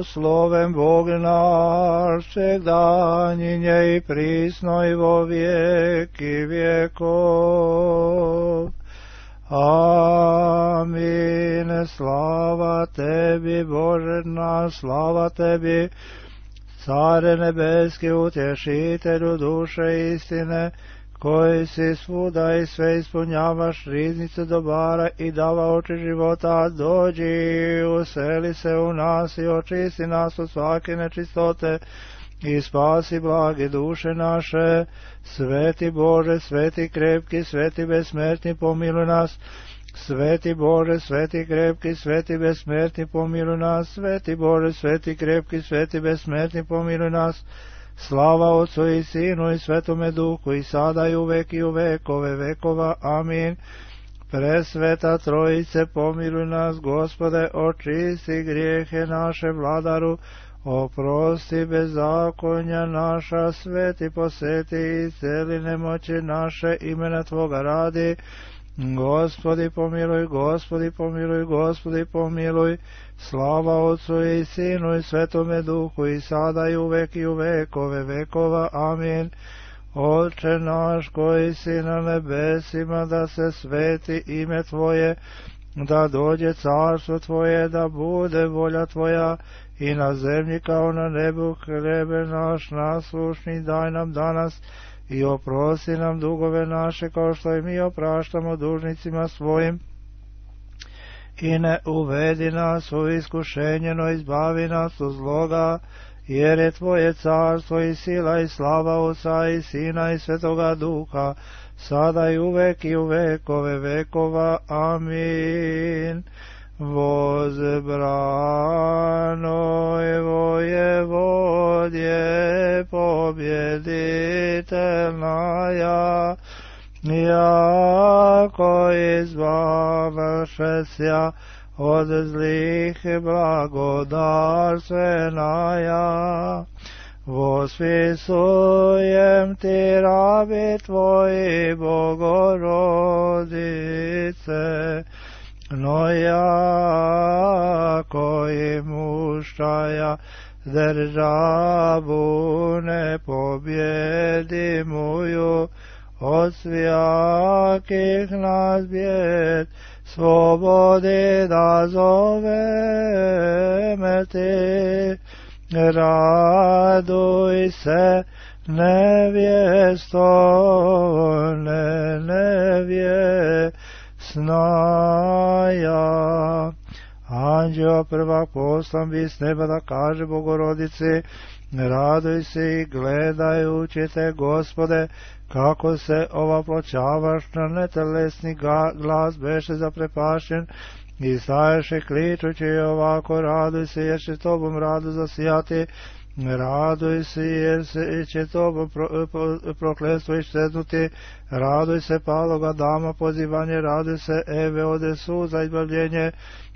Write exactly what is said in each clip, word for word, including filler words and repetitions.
Slovem Bog naš, всегда и присно и во веки веков. Амин. Слава Теби, Боже наш, слава Теби, Царе Nebeski, Utješitelju duše istine, koji si svuda i sve ispunjavaš riznice dobara i dava oči života, dođi, useli se u nas i očisti nas od svake nečistote i spasi blage duše naše. Sveti Bože, sveti krepki, sveti besmrtni, pomiluj nas. Sveti Bože, sveti krepki, sveti besmrtni, pomiluj nas. Sveti Bože, sveti krepki, sveti besmrtni, pomiluj nas. Slava Otcu i Sinu i Svetome Duhu, i sada i uvek i u vekove vekova. Amin. Presveta Trojice, pomiluj nas, Gospode, očisti grijehe naše, Vladaru, oprosti bezakonja naša, sveti poseti i celi nemoći naše, imena Tvoga radi. Gospodi pomiluj, Gospodi pomiluj, Gospodi pomiluj. Slava Otcu i Sinu i Svetome Duhu, i sada i uvek i u vekove vekova. Amin. Oče naš koji si na nebesima, da se sveti ime Tvoje, da dođe carstvo Tvoje, da bude volja Tvoja i na zemlji kao na nebu. Hlebe naš naslušni daj nam danas i oprosti nam dugove naše, kao što i mi opraštamo dužnicima svojim. I ne uvedi nas u iskušenje, no izbavi nas od zloga, jer je Tvoje carstvo i sila i slava Otca i Sina i Svetoga Duha, sada i uvek i u vekove vekova. Amin. Возбранoj воеводje побjeditelnaja, jako izbavšesja od zlih blagodarstvenaja. Vospisujem ti, rabi Tvoji, Bogorodice, no jako i mušaja državu nepobjedimuju, od svijakih nas bjed slobodi da zoveme ti. Raduj se, nevjesto, ne nevjesnaja. Anđeo prvak poslan bi s neba da kaže Bogorodici, raduj se i gledajući te, Gospode, kako se ovaploćavaš na netelesni glas beše zaprepašen i staješe kličući ovako, raduj se jer će Tobom radu zasijati, raduj se jer se će Tobom pro, pro, prokletstvo iščeznuti, raduj se paloga dama pozivanje, raduj se Eve ode suza izbavljenje,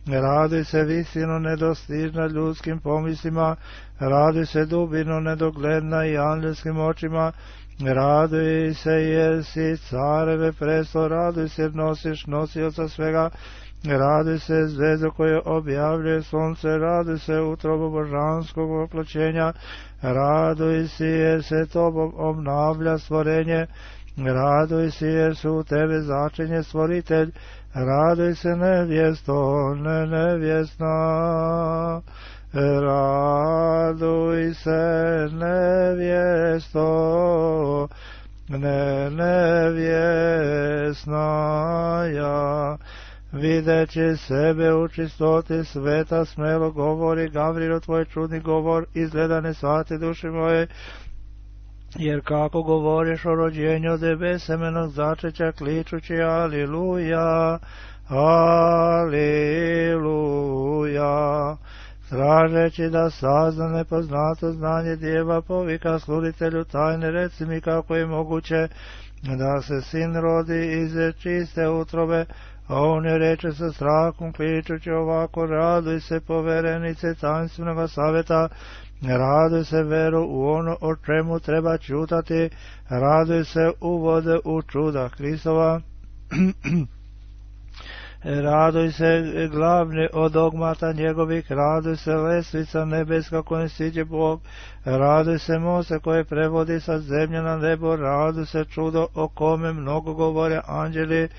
raduj se visino nedostižna ljudskim pomislima, raduj se dubino nedogledna i angelskim očima, raduj se jer si careve presto, raduj se jer nosiš nosioca svega, raduj se zvezdo koje objavljuje sunce, raduj se utrobo božanskog oploćenja, raduj se jer se Tobom obnavlja stvorenje, raduj se jer su u Tebe začinje stvoritelj, raduj se nevjesto, ne nevjesna, raduj se nevjesto, ne nevjesnaja. Videći sebe u čistoti sveta, smelo govori Gavrilo, Tvoj čudni govor izgleda ne shvati duši moje, jer kako govoriš o rođenju debe semenog začeća, kličući aliluja, aliluja. Tražeći da sazna nepoznato znanje djeva, povika sluditelju tajne, reci mi kako je moguće da se sin rodi iz čiste utrobe, a on je reče sa strahom, kličući ovako, raduj se poverenice tanstvenoga savjeta, raduj se veru u ono o čemu treba čutati, raduj se uvode u čuda Hristova. Raduj se glavni od dogmata njegovih, raduj se lestvica nebeska kojom siđe Bog, raduj se Mose koje prevodi sa zemlje na nebo, raduj se čudo o kome mnogo govore anđeli,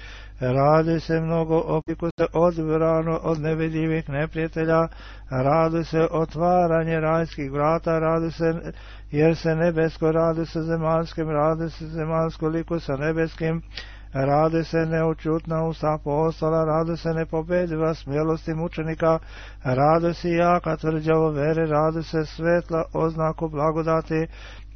raduj se mnogo opiku se odbrano od nevidljivih neprijatelja, raduj se otvaranje rajskih vrata, raduj se jer se nebesko, raduj se zemaljskim, raduj se zemaljsko liku sa nebeskim, raduj se neučutna usta apostola, raduj se nepobediva smjelosti mučenika, raduj se jaka tvrđavo vere, raduj se svetla oznaku blagodati,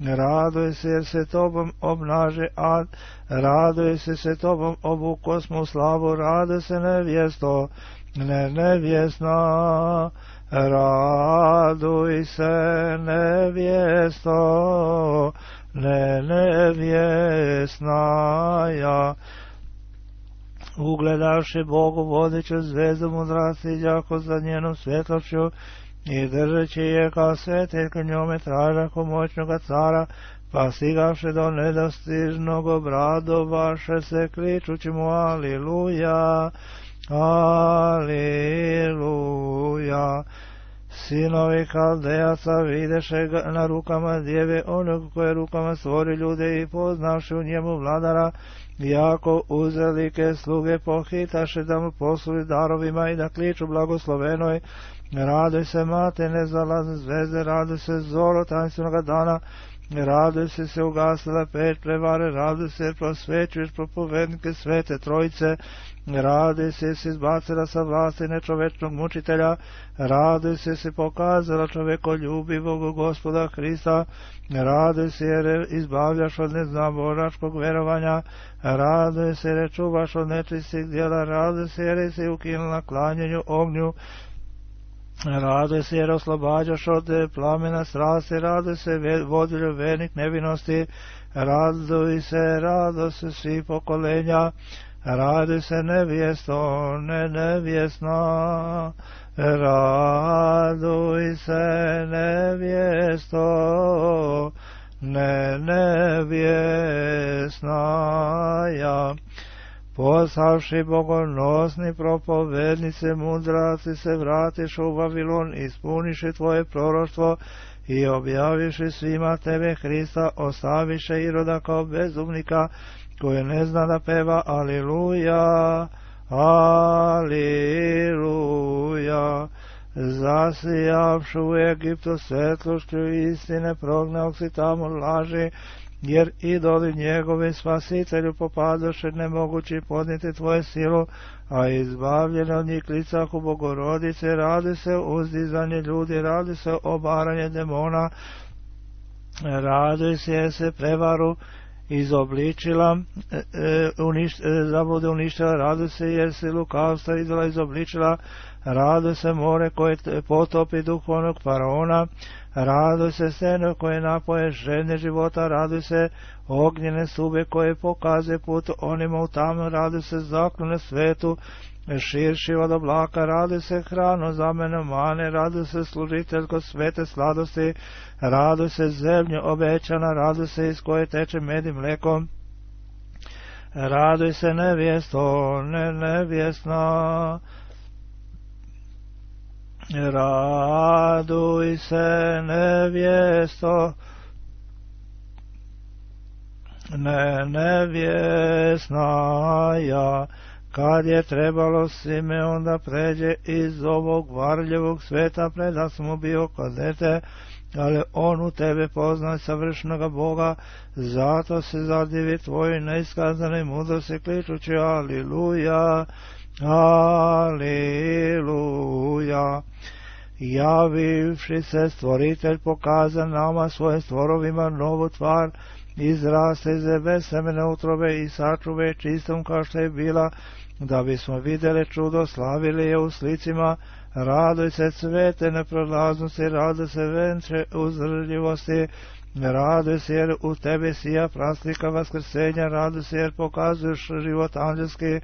raduj se jer se tobom obnaže ad, raduj se se tobom obu kosmu slavu, raduj se nevjesto, ne nevjesna, raduj se nevjesto, ne nevjesnaja. Ugledavši Bogu vodiću zvezdu mudrasti, jako za njenom svjetlošću, i držeći je kao sveteljka njome tražaku moćnoga cara, pa stigavši do nedostižnog obradovaše se kličući mu aliluja, aliluja. Sinovi Kaldejaca videše ga na rukama djeve onog koje rukama stvori ljude i poznavši u njemu vladara, jako uzelike sluge pohitaše da mu posluži darovima i da kliču blagoslovenoj. Raduj se mate nezalazne zvezde, raduj se zoro tanstvenoga dana, raduj se se ugasila peć prevare, raduj se jer prosvećuješ propovednike svete trojice, raduj se si izbacila sa vlasti nečovečnog mučitelja, raduj se si pokazala čovekoljubivog Gospoda Hrista, raduj se jer izbavljaš od neznaboračkog verovanja, raduj se jer čuvaš od nečistih djela, raduj se jer si ukinula klanjenju ognju, raduj se jer oslobađaš od plamena strasti, raduj se vodilju vernik nevinosti, raduj se, raduj se svi pokolenja, raduj se nevjesto, ne nevjesna, raduj se nevjesto, ne nevjesnaja. Poslavši bogonosni propovednice mudraci se vratiš u Vavilon, ispuniši tvoje proroštvo i objaviši svima tebe Hrista, ostaviše Iroda kao bezumnika koji ne zna da peva aliluja, aliluja. Zasijavši u Egiptu svetlošću istine, prognao si tamo laži, jer idoli njegovi spasitelju popadoše nemogući podnijeti tvoje silu, a izbavljene od njih klicahu Bogorodice, radi se uzdizanje ljudi, radi se obaranje demona, radi se jer se prevaru izobličila, e, uništ, e, zabude uništila, radi se jer se lukavstva idola izobličila, radi se more koje potopi duhovnog faraona, raduj se seno koje napoje žene života, raduj se ognjene sube koje pokazuje put onima u tamnu, raduj se zaklone svetu, širši od oblaka, raduj se hrano za mene mane, raduj se služiteljko svete sladosti, raduj se zemlju obećana, raduj se iz koje teče med i mlekom, raduj se nevjesto, ne nevjesna, raduj se nevjesto, ne nevjesnaja. Kad je trebalo Simeon da pređe iz ovog varljevog sveta, preda mu bio kod dete, ali on u tebe poznaj savršenoga Boga, zato se zadivi tvoj neiskazane mudrosti, kličući aliluja, aliluja. Javivši se stvoritelj pokaza nama svojim stvorovima novu tvar, izraste iz besemene utrobe i sačuve čistom kao što je bila, da bismo vidjeli čudo, slavili je u slicima. Raduj se cvete neprolaznosti, raduj se venče uzdržljivosti, raduj se jer u tebi sija praslika vaskrsenja, raduj se jer pokazuješ život anđelski,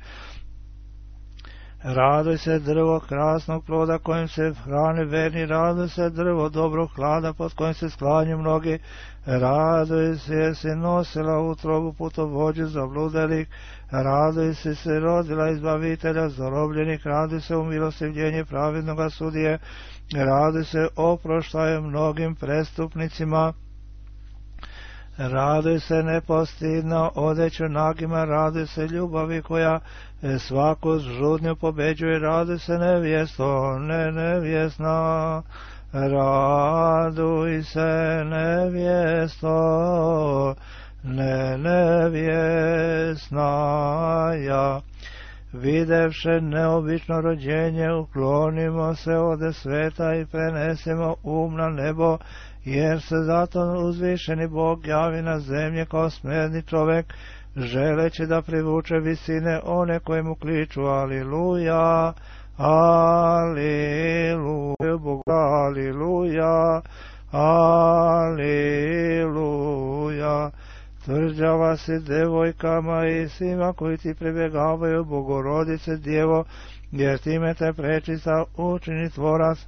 Raduj se drvo krasnog ploda kojim se hrane verni, raduj se drvo dobrog hlada pod kojim se sklanju mnogi, raduj se jer si nosila utrobu putovođu zabludalih, raduj se se rodila izbavitelja zarobljenih, raduj se umilostivljenje pravednoga sudije, raduj se oproštaje mnogim prestupnicima, raduj se nepostidno odeću nagima, raduj se ljubavi koja svaku žudnju pobeđuje, raduj se nevjesto, ne nevjesna, raduj se nevjesto, ne nevjesna ja. Videvše neobično rođenje, uklonimo se ode sveta i prenesemo um na nebo, jer se zato uzvišeni Bog javi na zemlje kao smjerni čovek, želeći da privuče visine one koje mu kliču. Aliluja, aliluja, Bogu, aliluja, aliluja. Tvrđava si devojkama i svima koji ti pribjegavaju, Bogorodice Djevo, jer time te prečista učini tvorac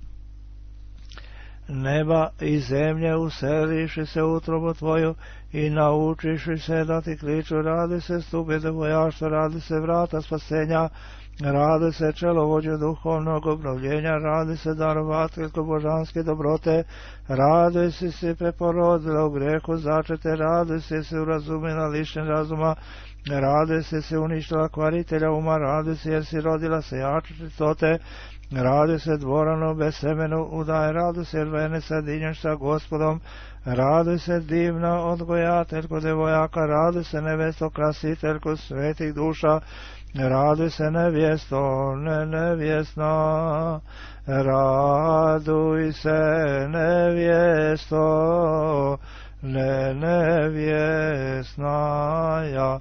neba i zemlje, useliši se u utrobu tvoju i naučiši se da ti kliču. Radi se stupe devojaštva, radi se vrata spasenja, radi se čelovođe duhovnog obnovljenja, radi se darovateljko božanske dobrote, radi si se preporodila u grehu začete, radi se se urazumila lišen razuma, radi se se uništila kvaritelja uma, radi se jer si rodila se jače čistote, radi se dvorano bez semenu udaje, radi se jer vene sadinješ sa Gospodom, radi se divna odgojateljko devojaka, radi se nevesto krasiteljko svetih duša, radi se nevjesto, ne nevjesna, raduj se nevjesto, ne nevjesna ja.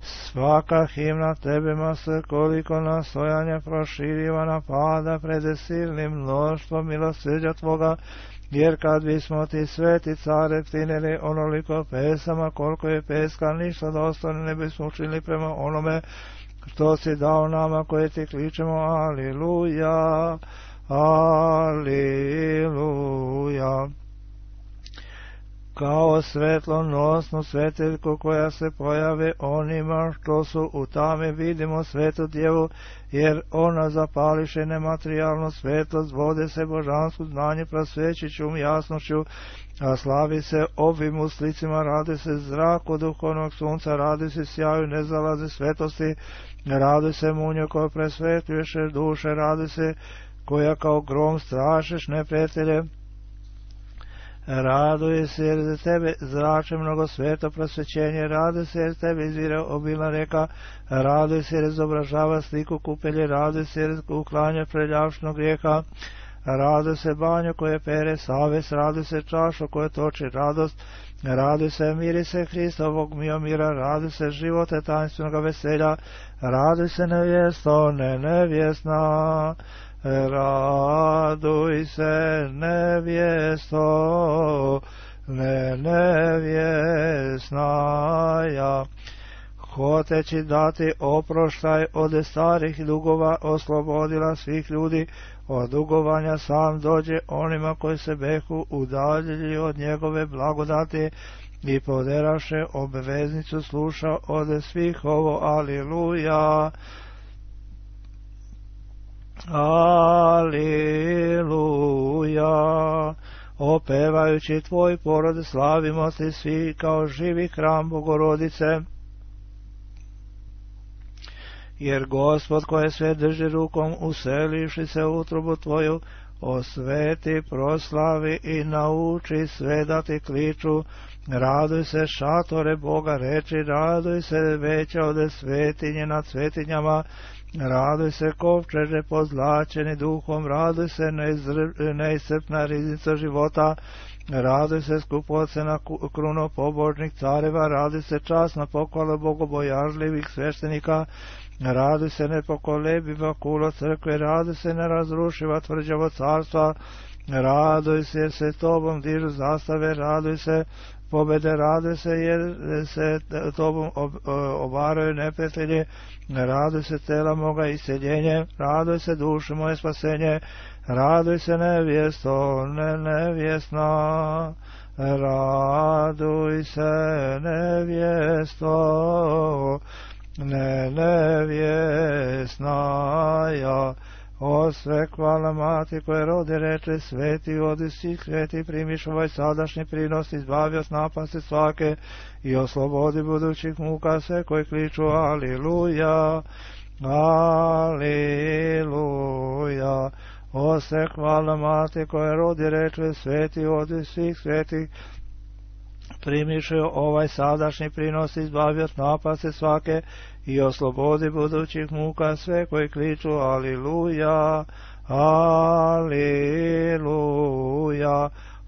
Svaka himna tebima se koliko nastojanja proširiva napada prede silnim mnoštvom milosrđa tvoga, jer kad bismo ti sveti care ptinili onoliko pesama koliko je peska, ništa dostojno ne bismo učinili prema onome što si dao nama koje ti kličemo. Aliluja, aliluja. Kao svetlonosnu svetiljku koja se pojave onima što su u tami, vidimo svetu Djevu, jer ona zapališe nematerijalnu svetlost, vode se božansku znanje prosvećiću jasnošću, a slavi se ovim uslicima, radi se zraku duhovnog sunca, radi se sjaju nezalaze svetosti, radi se munju koja presvetljuješ duše, radi se koja kao grom strašeš neprijatelje, raduje se jer za tebe zrače mnogo sveto prosvećenje, raduje se jer tebe izvire obilna reka, raduje se jer izobražava sliku kupelje, raduje se jer uklanja preljavšnog grijeha, raduje se banju koje pere savest, raduje se čašu koje toči radost, raduje se mirise Hristovog miomira, raduje se živote tanstvenoga veselja, raduje se nevjesto, ne nevjesna, raduj se nevjesto, ne nevjesna ja. Hoteći dati oproštaj od starih dugova, oslobodila svih ljudi od dugovanja, sam dođe onima koji se behu udaljili od njegove blagodati i poderaše obveznicu, sluša od svih ovo. Aliluja, aliluja. Opevajući tvoj porod slavimo ti svi kao živi hram Bogorodice, jer Gospod koje sve drži rukom, useliši se u utrobu tvoju, osveti, proslavi i nauči sve da ti kliču. Raduj se šatore Boga reči, raduj se veća od svetinje nad svetinjama, raduj se kovčeže pozlačeni duhom, raduj se neiscrpna riznica života, raduj se skupocena kruno pobožnih careva, raduj se časna pohvala bogobojažljivih sveštenika, raduj se nepokolebiva kulo crkve, raduj se nerazrušiva tvrđavo carstva, raduj se jer se tobom dižu zastave, raduj se pobjede, raduj se jer se tobom obaraju neprijatelji, raduj se tela moga isceljenje, raduj se duše moje spasenje, raduj se nevjesto, ne nevjesna, raduj se nevjesto, ne nevjesna, ja. O sve hvala mati koje rodi reče sveti, odi si sveti, primiš ovaj sadašnji prinos, izbavi od napasti svake i oslobodi budućih muka sve koji kliču aliluja, aliluja. O sve hvala mati koje rodi reče sveti, odi svih svetih, primiš ovaj sadašnji prinos, izbavi od napasti svake i oslobodi budućih muka sve koji kliču aliluja, aliluja.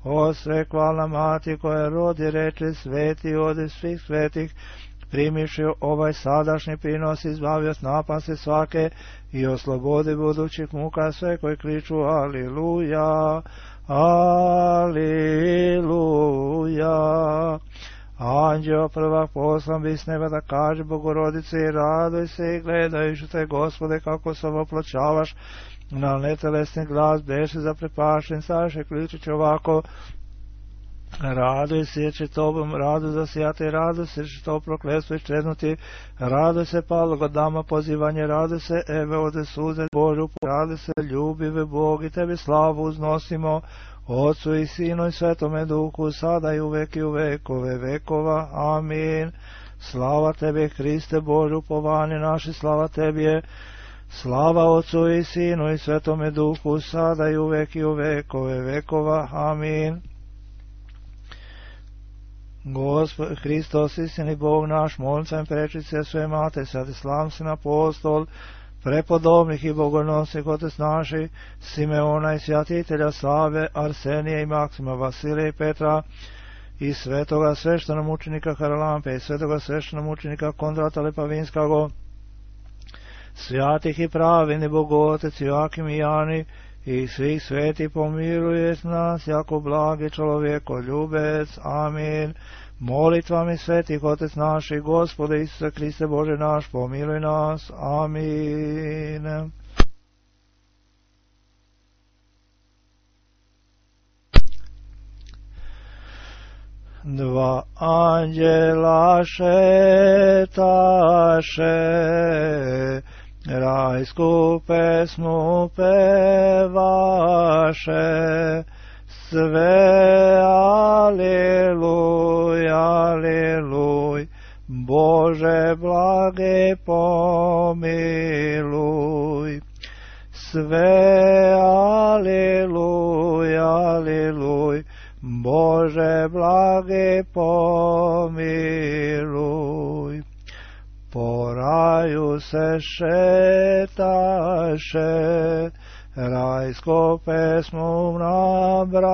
O sve hvala mati koja rodi reče sveti, odi svih svetih, primiš ovaj sadašnji prinos, izbavi od napasti svake i oslobodi budućih muka sve koji kliču aliluja, aliluja. Anđeo prvak poslan bi s neba da kaže Bogorodice i raduj se i gledajući te Gospode kako se opločavaš na netelesni glas beše zaprepašen, saše kličući ovako, raduj se jer će tobom radu zasijati, raduj se jer će to prokletstvo iščeznuti, raduj se palog od dama pozivanje, raduj se eve ode suze Božu, raduj se ljubive Bog i tebi slavu uznosimo, Otcu i Sinu i Svetome Duhu, sada i uvek i u vekove vekova. Amin. Slava Tebi, Hriste Bože, upovanje naše, slava Tebi je. Slava Otcu i Sinu i Svetome Duhu, sada i uvek i u vekove vekova. Amin. Gospod Hristos, istini Bog naš, molim se prečice sve mate, sad islam sin apostol, prepodobnih i bogonosnih otac naši, Simeona i svjatitelja Save, Arsenija i Maksima, Vasilija i Petra, i svetoga sveštenomučenika Haralampe, i svetoga sveštenomučenika Kondrata Lepavinskago, svjatih i pravini Bogotec, Joakim i Jani, i svih sveti pomiruje nas, jako blagi čovjeko ljubec. Amin. Molitvami svetih Otec naši, Gospode Isuse Hriste Bože naš, pomiluj nas. Amin. Dva anđela šetaše, rajsku pesmu pevaše, sve aleluj, aleluj, Bože blage pomiluj. Sve aleluj, aleluj, Bože blage pomiluj. Po raju se šetaše, rajsko pesmu nabraše,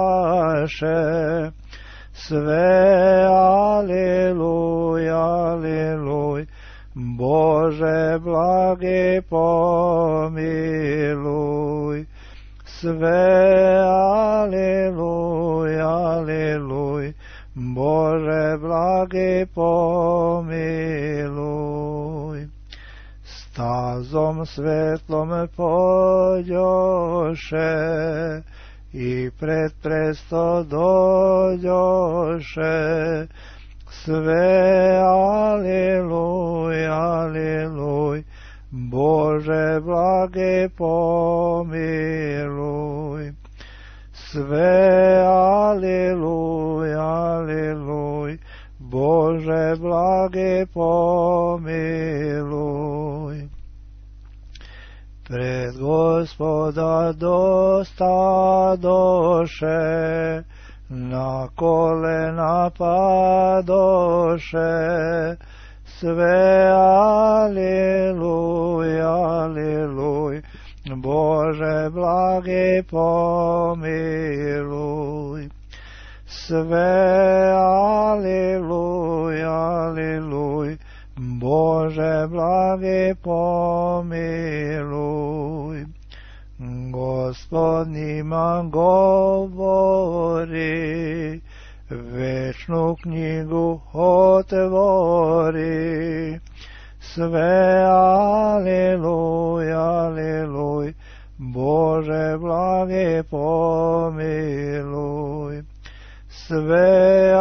sve aleluj, aleluj, Bože blage pomiluj. Sve aleluj, aleluj, Bože blage pomiluj. Stazom svetlom pođoše i pred presto dođoše, sve aleluj, aleluj, Bože blage pomiluj. Sve aleluj, aleluj, Bože blage pomiluj. Pred Gospoda dosta doše, na kolena padoše, sve aleluj, aleluj, Bože blage pomiluj. Sve aleluj, aleluj, Bože blage pomiluj. Gospod njima go govori, večnu knjigu otvori. Sve aleluj, aleluj, Bože blage pomiluj. Sve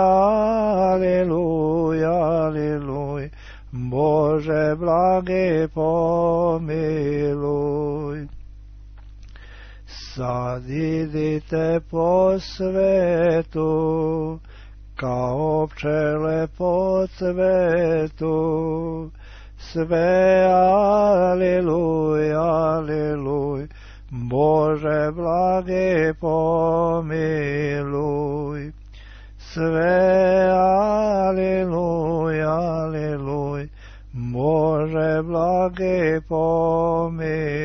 aleluj, aleluj, Bože blage pomiluj. Sad idite po svetu, kao pčele po cvetu. Sve aleluj, aleluj, Bože blage pomiluj. Sve aleluj, aleluj, Bože blage pomiluj.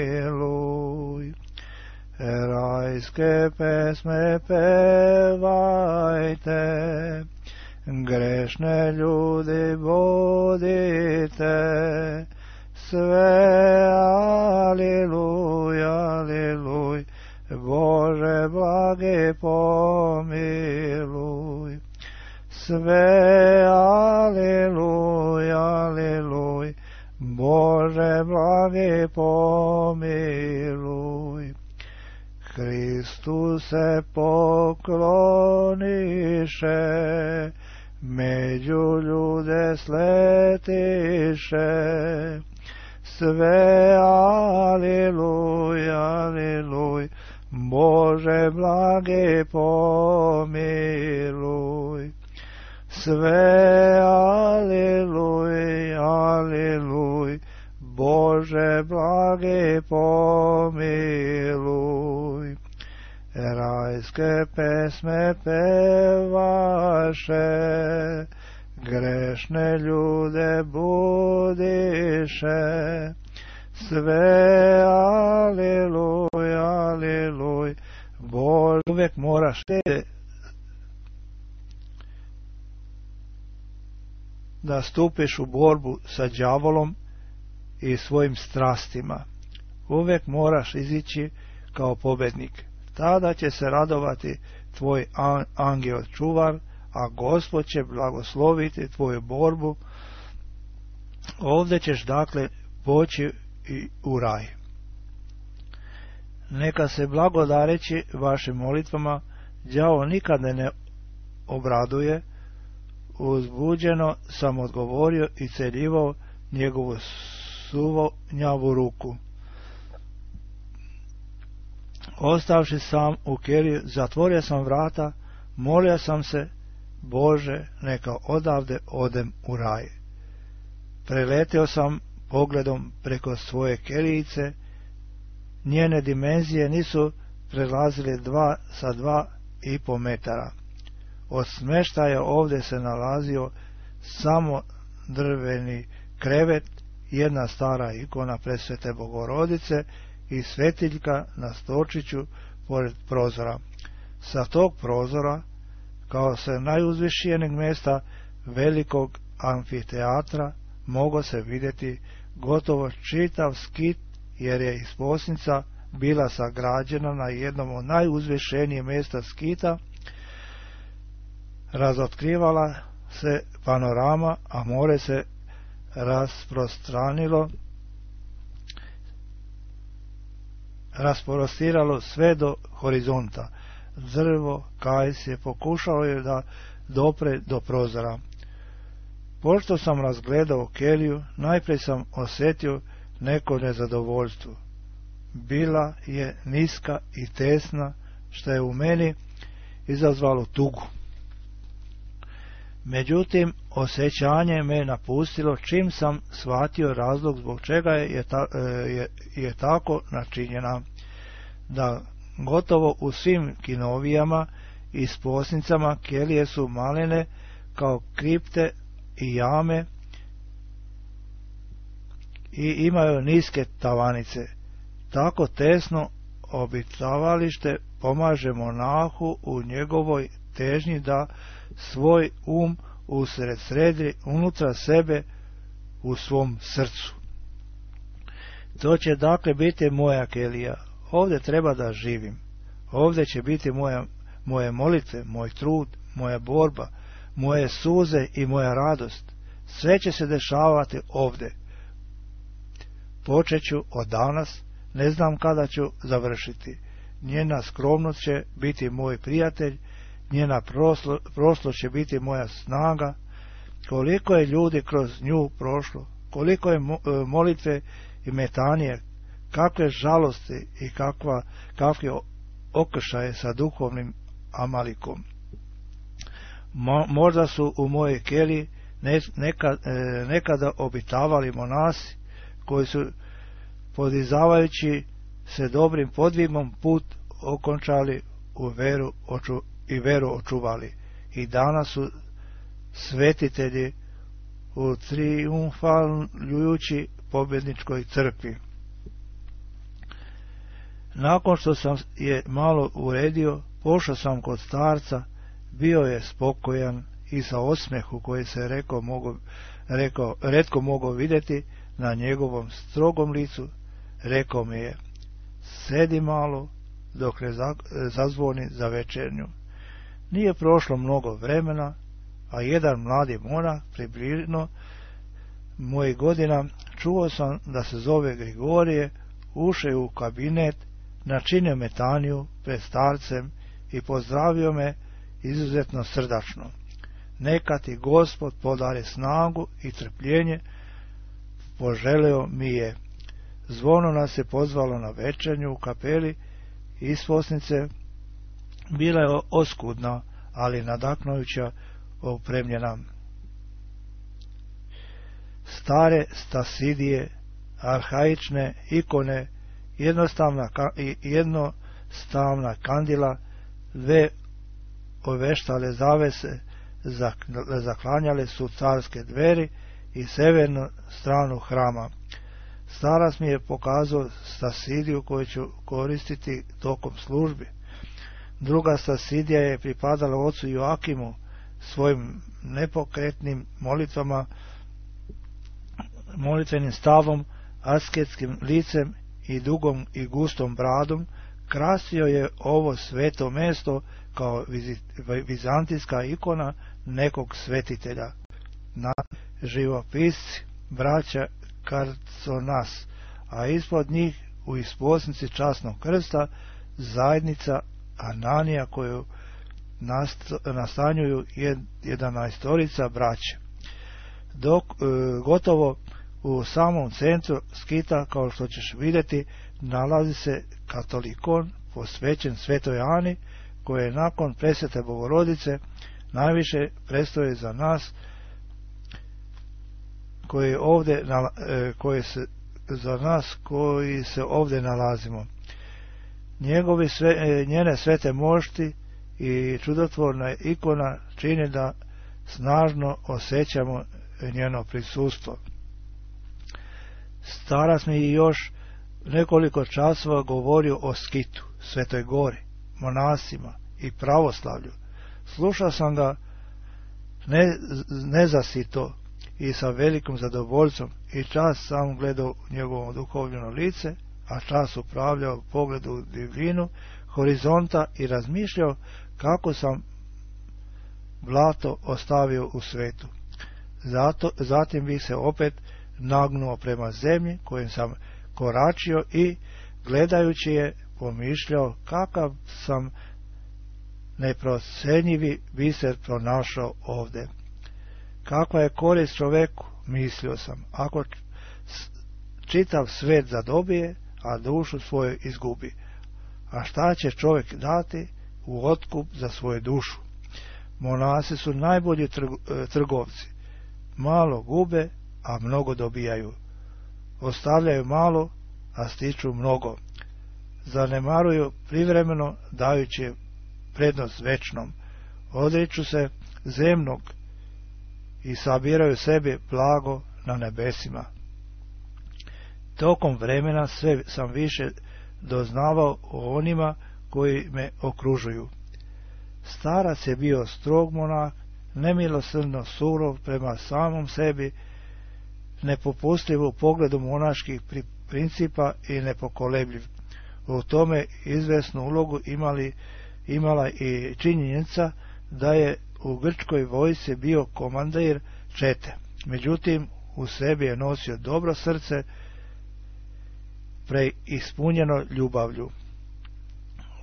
Rajske pesme pevajte, grešne ljudi budite. Sve aleluj, aleluj, Bože blage pomiluj. Sve aleluj, aleluj, Bože blage pomiluj. Hristu se pokloniše, među ljude sletiše. Sve aleluj, aleluj, Bože blage pomiluj. Sve aleluj, aleluj, Bože blage pomiluj. Rajske pesme pevaše, grešne ljude budiše. Sve aleluj, aleluj, Bože. Uvijek moraš da stupiš u borbu sa đavolom i svojim strastima. Uvijek moraš izići kao pobednik. Tada će se radovati tvoj angel čuvar, a Gospod će blagosloviti tvoju borbu. Ovdje ćeš dakle poći i u raj. Neka se blagodareći vašim molitvama đavo nikad ne obraduje. Uzbuđeno sam odgovorio i celjivao njegovu suvonjavu ruku. Ostavši sam u keliji, zatvorio sam vrata, molio sam se, Bože, neka odavde odem u raj. Preletio sam pogledom preko svoje kelijice, njene dimenzije nisu prelazile dva sa dva i po metara. Od smještaja ovdje se nalazio samo drveni krevet, jedna stara ikona Presvete Bogorodice i svetiljka na stočiću pored prozora. Sa tog prozora, kao sa najuzvišenijeg mjesta velikog amfiteatra, mogao se vidjeti gotovo čitav skit, jer je isposnica bila sagrađena na jednom od najuzvišenijih mjesta skita. Razotkrivala se panorama, a more se rasprostranilo, rasprostiralo sve do horizonta. Drvo Kajs je pokušalo je da dopre do prozora. Pošto sam razgledao keliju, najprije sam osjetio neko nezadovoljstvo. Bila je niska i tesna, što je u meni izazvalo tugu. Međutim, osjećanje me napustilo čim sam shvatio razlog zbog čega je, ta, je, je tako načinjena, da gotovo u svim kinovijama i sposnicama kelije su malene kao kripte i jame i imaju niske tavanice. Tako tesno obitavalište pomaže monahu u njegovoj težnji da svoj um usred sredi unutra sebe u svom srcu. To će dakle biti moja kelija. Ovdje treba da živim. Ovdje će biti moja, moje molitve, moj trud, moja borba, moje suze i moja radost. Sve će se dešavati ovdje. Počet ću od danas, ne znam kada ću završiti. Njena skromnost će biti moj prijatelj, njena proslo, prošlost će biti moja snaga. Koliko je ljudi kroz nju prošlo, koliko je molitve i metanije, kakve žalosti i kakva, kakve okršaje sa duhovnim Amalikom. Mo, možda su u mojoj keliji nekad, nekada obitavali monasi koji su podizavajući se dobrim podvigom put okončali u veru oču, i veru očuvali. I danas su svetitelji u triumfalujući pobjedničkoj crkvi. Nakon što sam je malo uredio, pošao sam kod starca, bio je spokojan i sa osmehu koji se rekao, mogo, rekao, retko mogao vidjeti na njegovom strogom licu, rekao mi je: sedi malo dok ne zazvoni za večernju. Nije prošlo mnogo vremena, a jedan mladi monah, približno mojih godina, čuo sam da se zove Grigorije, ušao u kabinet, načinio metaniju pred starcem i pozdravio me izuzetno srdačno. Neka ti Gospod podari snagu i trpljenje, poželeo mi je. Zvono nas je pozvalo na večernju u kapeli isposnice. Bila je oskudna, ali nadahnujuća opremljena. Stare stasidije, arhaične ikone, jednostavna, jednostavna kandila, dve oveštale zavese zaklanjale su carske dveri i severnu stranu hrama. Starac mi je pokazao stasidiju koju ću koristiti tokom službi. Druga stasidija je pripadala ocu Joakimu, svojim nepokretnim molitvama, molitvenim stavom, asketskim licem i dugom i gustom bradom. Krasio je ovo sveto mesto kao vizantijska ikona nekog svetitelja. Na živopisci braća Karconas, a ispod njih u isposnici časnog krsta zajednica Ananija koju nastanjuju jedanaestorica braće. Dok e, gotovo u samom centru skita, kao što ćeš vidjeti, nalazi se katolikon posvećen Svetoj Ani, koji je nakon presvete Bogorodice najviše predstoji za nas koji ovdje koji se za nas koji se ovdje nalazimo. Njegovi sve, njene svete mošti i čudotvorna ikona čini da snažno osjećamo njeno prisustvo. Starac mi još nekoliko časova govorio o Skitu, Svetoj Gori, monasima i pravoslavlju. Slušao sam ga ne, nezasito i sa velikim zadovoljstvom, i čas sam gledao njegovo duhovljeno lice, a čas upravljao pogledu u divljinu horizonta i razmišljao kako sam blato ostavio u svetu. Zato, zatim bih se opet nagnuo prema zemlji kojim sam koračio i, gledajući je, pomišljao kakav sam neprocenjivi biser pronašao ovdje. Kakva je korist čoveku, mislio sam, ako čitav svet zadobije, a dušu svoju izgubi. A šta će čovjek dati u otkup za svoju dušu? Monasi su najbolji trgovci. Malo gube, a mnogo dobijaju. Ostavljaju malo, a stiču mnogo. Zanemaruju privremeno, dajući prednost večnom. Odriču se zemnog i sabiraju sebi blago na nebesima. Tokom vremena sve sam više doznavao o onima koji me okružuju. Starac je bio strog monah, nemilosrdno surov prema samom sebi, nepopustljiv u pogledu monaških principa i nepokolebljiv. U tome izvesnu ulogu imali, imala i činjenica da je u grčkoj vojsci bio komandir čete. Međutim, u sebi je nosio dobro srce, preispunjeno ljubavlju.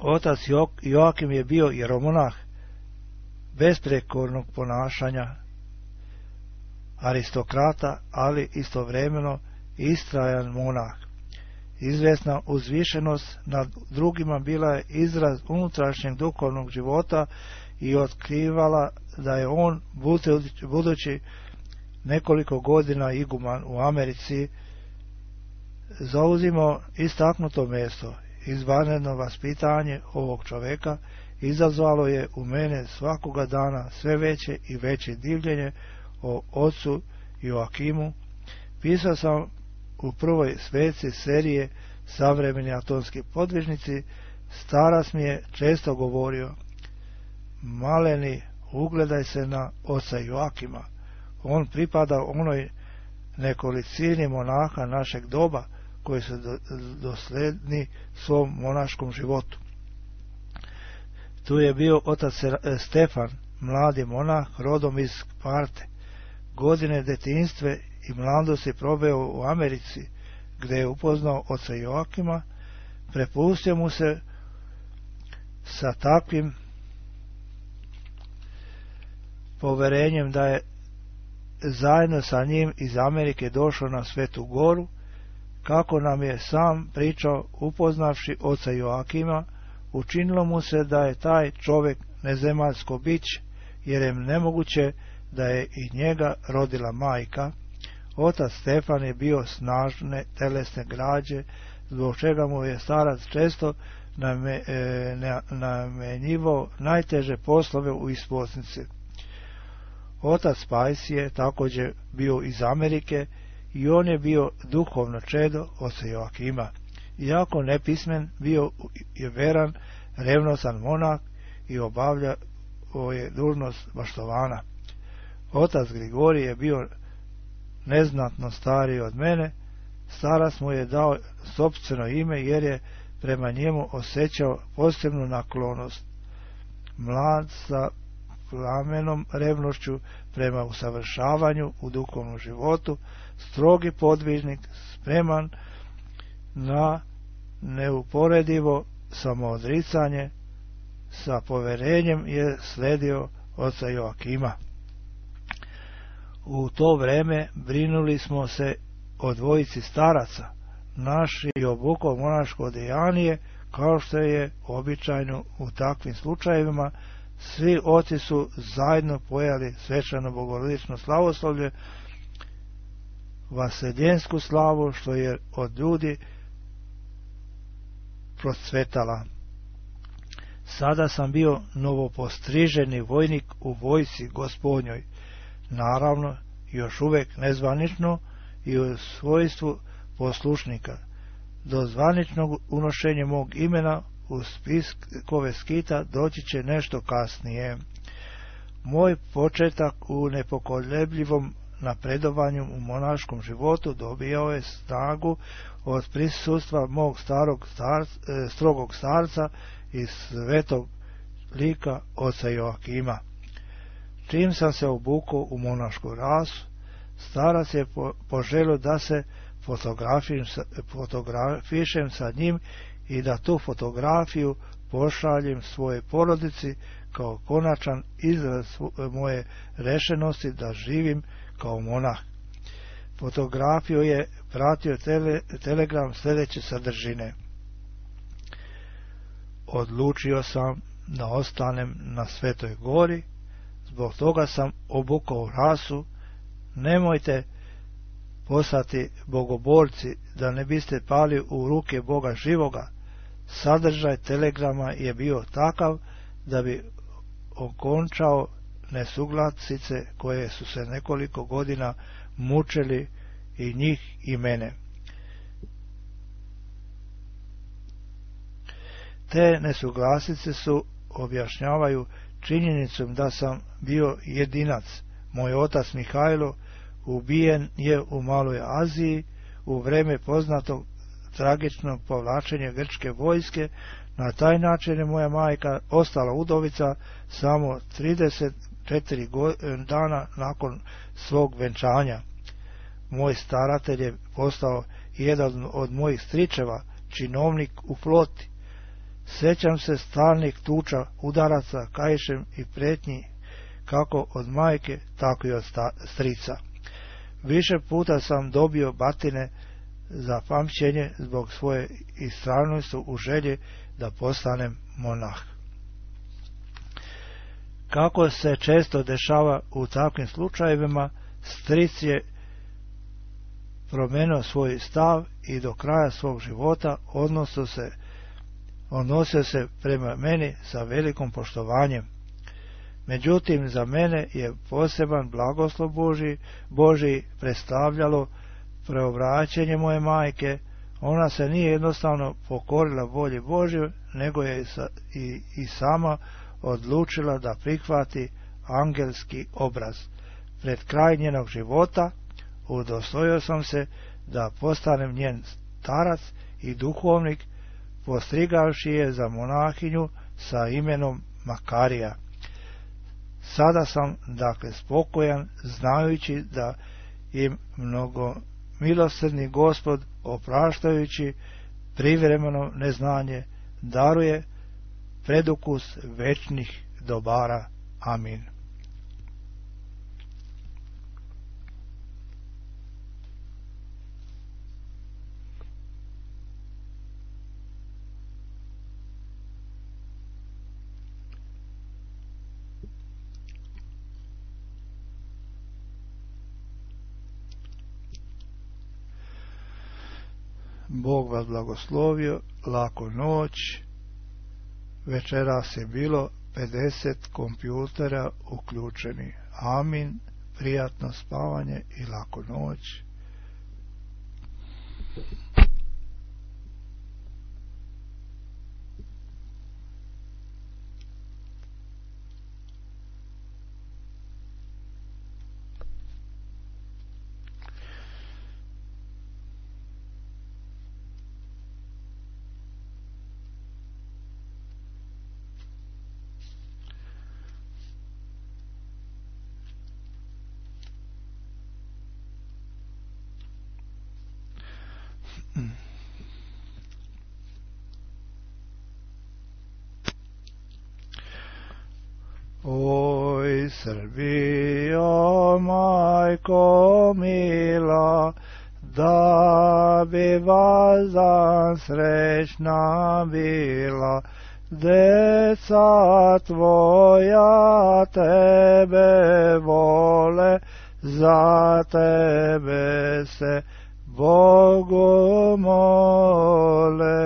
Otac Joakim je bio jeromonah besprekornog ponašanja, aristokrata, ali istovremeno istrajan monah. Izvesna uzvišenost nad drugima bila je izraz unutrašnjeg duhovnog života i otkrivala da je on, budući nekoliko godina iguman u Americi, zauzimao istaknuto mjesto. Izvanredno vaspitanje ovog čoveka izazvalo je u mene svakoga dana sve veće i veće divljenje o ocu Joakimu. Pisao sam u prvoj sveci serije Savremeni atomski podvižnici. Starac mi je često govorio: maleni, ugledaj se na oca Joakima. On pripada onoj nekolicini monaha našeg doba koji su dosledni svom monaškom životu. Tu je bio otac Stefan, mladi monah rodom iz Sparte. Godine detinjstve i mladosti proveo u Americi, gdje je upoznao oca Joakima. Prepustio mu se sa takvim poverenjem da je zajedno sa njim iz Amerike došao na Svetu Goru. Kako nam je sam pričao, upoznavši oca Joakima, učinilo mu se da je taj čovjek nezemaljsko biće, jer je nemoguće da je i njega rodila majka. Otac Stefan je bio snažne telesne građe, zbog čega mu je starac često namenjivao najteže poslove u isposnici. Otac Pajs je također bio iz Amerike i on je bio duhovno čedo oca Joakima. Iako nepismen, bio je veran, revnosan monah i obavljao je dužnost baštovana. Otac Grigorij je bio neznatno stariji od mene. Starac mu je dao sopstveno ime jer je prema njemu osjećao posebnu naklonost. Mlad sa plamenom revnošću prema usavršavanju u duhovnom životu, strogi podvižnik, spreman na neuporedivo samoodricanje, sa poverenjem je sledio oca Joakima. U to vreme brinuli smo se o dvojici staraca, naši i obukao monaško odejanije, kao što je običajno u takvim slučajevima. Svi oci su zajedno pojeli svečano bogorodično slavoslovlje, vaseljensku slavu, što je od ljudi procvetala. Sada sam bio novopostriženi vojnik u vojsci Gospodnjoj, naravno još uvijek nezvanično i u svojstvu poslušnika. Do zvaničnog unošenja mog imena u spiskove skita doći će nešto kasnije. Moj početak u nepokolebljivom napredovanju u monaškom životu dobijao je snagu od prisustva mog starog starca, strogog starca i svetog lika oca Joakima. Čim sam se obukao u monašku rasu, starac je po, poželio da se fotografišem sa njim i da tu fotografiju pošaljem svoje porodici kao konačan izraz moje rešenosti da živim kao monah. Fotografiju je pratio tele, telegram sljedeće sadržine: odlučio sam da ostanem na Svetoj Gori, zbog toga sam obukao rasu. Nemojte postati bogoborci da ne biste pali u ruke Boga živoga. Sadržaj telegrama je bio takav da bi okončao nesuglasice koje su se nekoliko godina mučili i njih i mene. Te nesuglasice su objašnjavaju činjenicom da sam bio jedinac. Moj otac Mihajlo ubijen je u Maloj Aziji u vreme poznatog tragično povlačenje grčke vojske. Na taj način je moja majka ostala udovica samo trideset četiri dana nakon svog venčanja. Moj staratelj je postao jedan od mojih stričeva, činovnik u floti. Sjećam se stalnih tuča, udaraca kaišem i pretnji kako od majke, tako i od strica. Više puta sam dobio batine za pamćenje zbog svoje istrajnosti u želji da postanem monah. Kako se često dešava u takvim slučajevima, stric je promenio svoj stav i do kraja svog života odnosio se, odnosio se prema meni sa velikom poštovanjem. Međutim, za mene je poseban blagoslov Božji, Božji predstavljalo preobraćenje moje majke. Ona se nije jednostavno pokorila volji Božjoj, nego je i, i sama odlučila da prihvati angelski obraz. Pred kraj njenog života udostojio sam se da postanem njen starac i duhovnik, postrigavši je za monahinju sa imenom Makarija. Sada sam dakle spokojan, znajući da im mnogo milosrdni Gospod, opraštajući privremeno neznanje, daruje predukus večnih dobara. Amin. Bog vas blagoslovio, laku noć. Večeras je bilo pedeset kompjutera uključeni. Amin, prijatno spavanje i laku noć. Oj, Srbijo, majko mila, da bi vas dan srećna bila, deca tvoja tebe vole, za tebe se Bogu mole.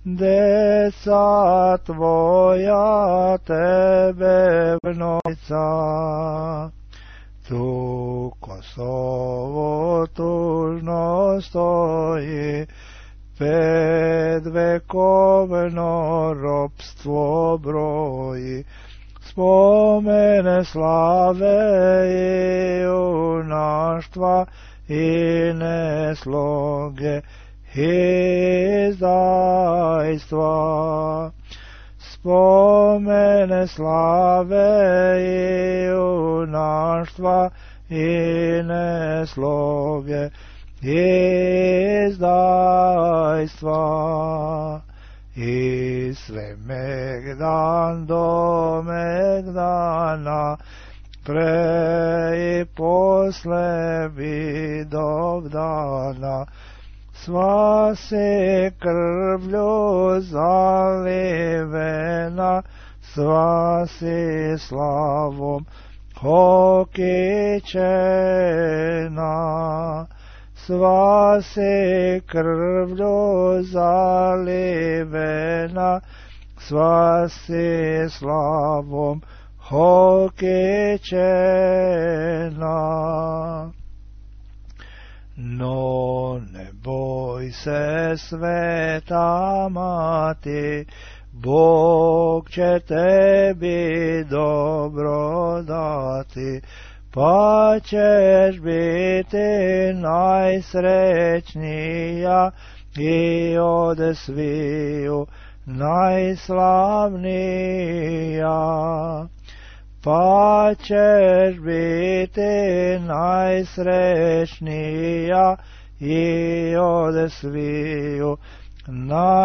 Deca tvoja tebe vnovica, tu Kosovo tužno stoji, ped vekovno ropstvo broji, spomene slave i junaštva i nesloge izdajstva. Spomene slave i junaštva i nesloge izdajstva. I sve megdan do megdana, pre i posle vidovdana, sva se krvlju zalivena, sva se slavom okićena, sva se krvlju zalivena, sva se slavom okićena. No ne boj se, sveta mati, Bog će tebi dobro dati, pa ćeš biti najsrećnija i ode sviju najslavnija, pa ćeš biti najsrećnija i ode sviju najslavnija.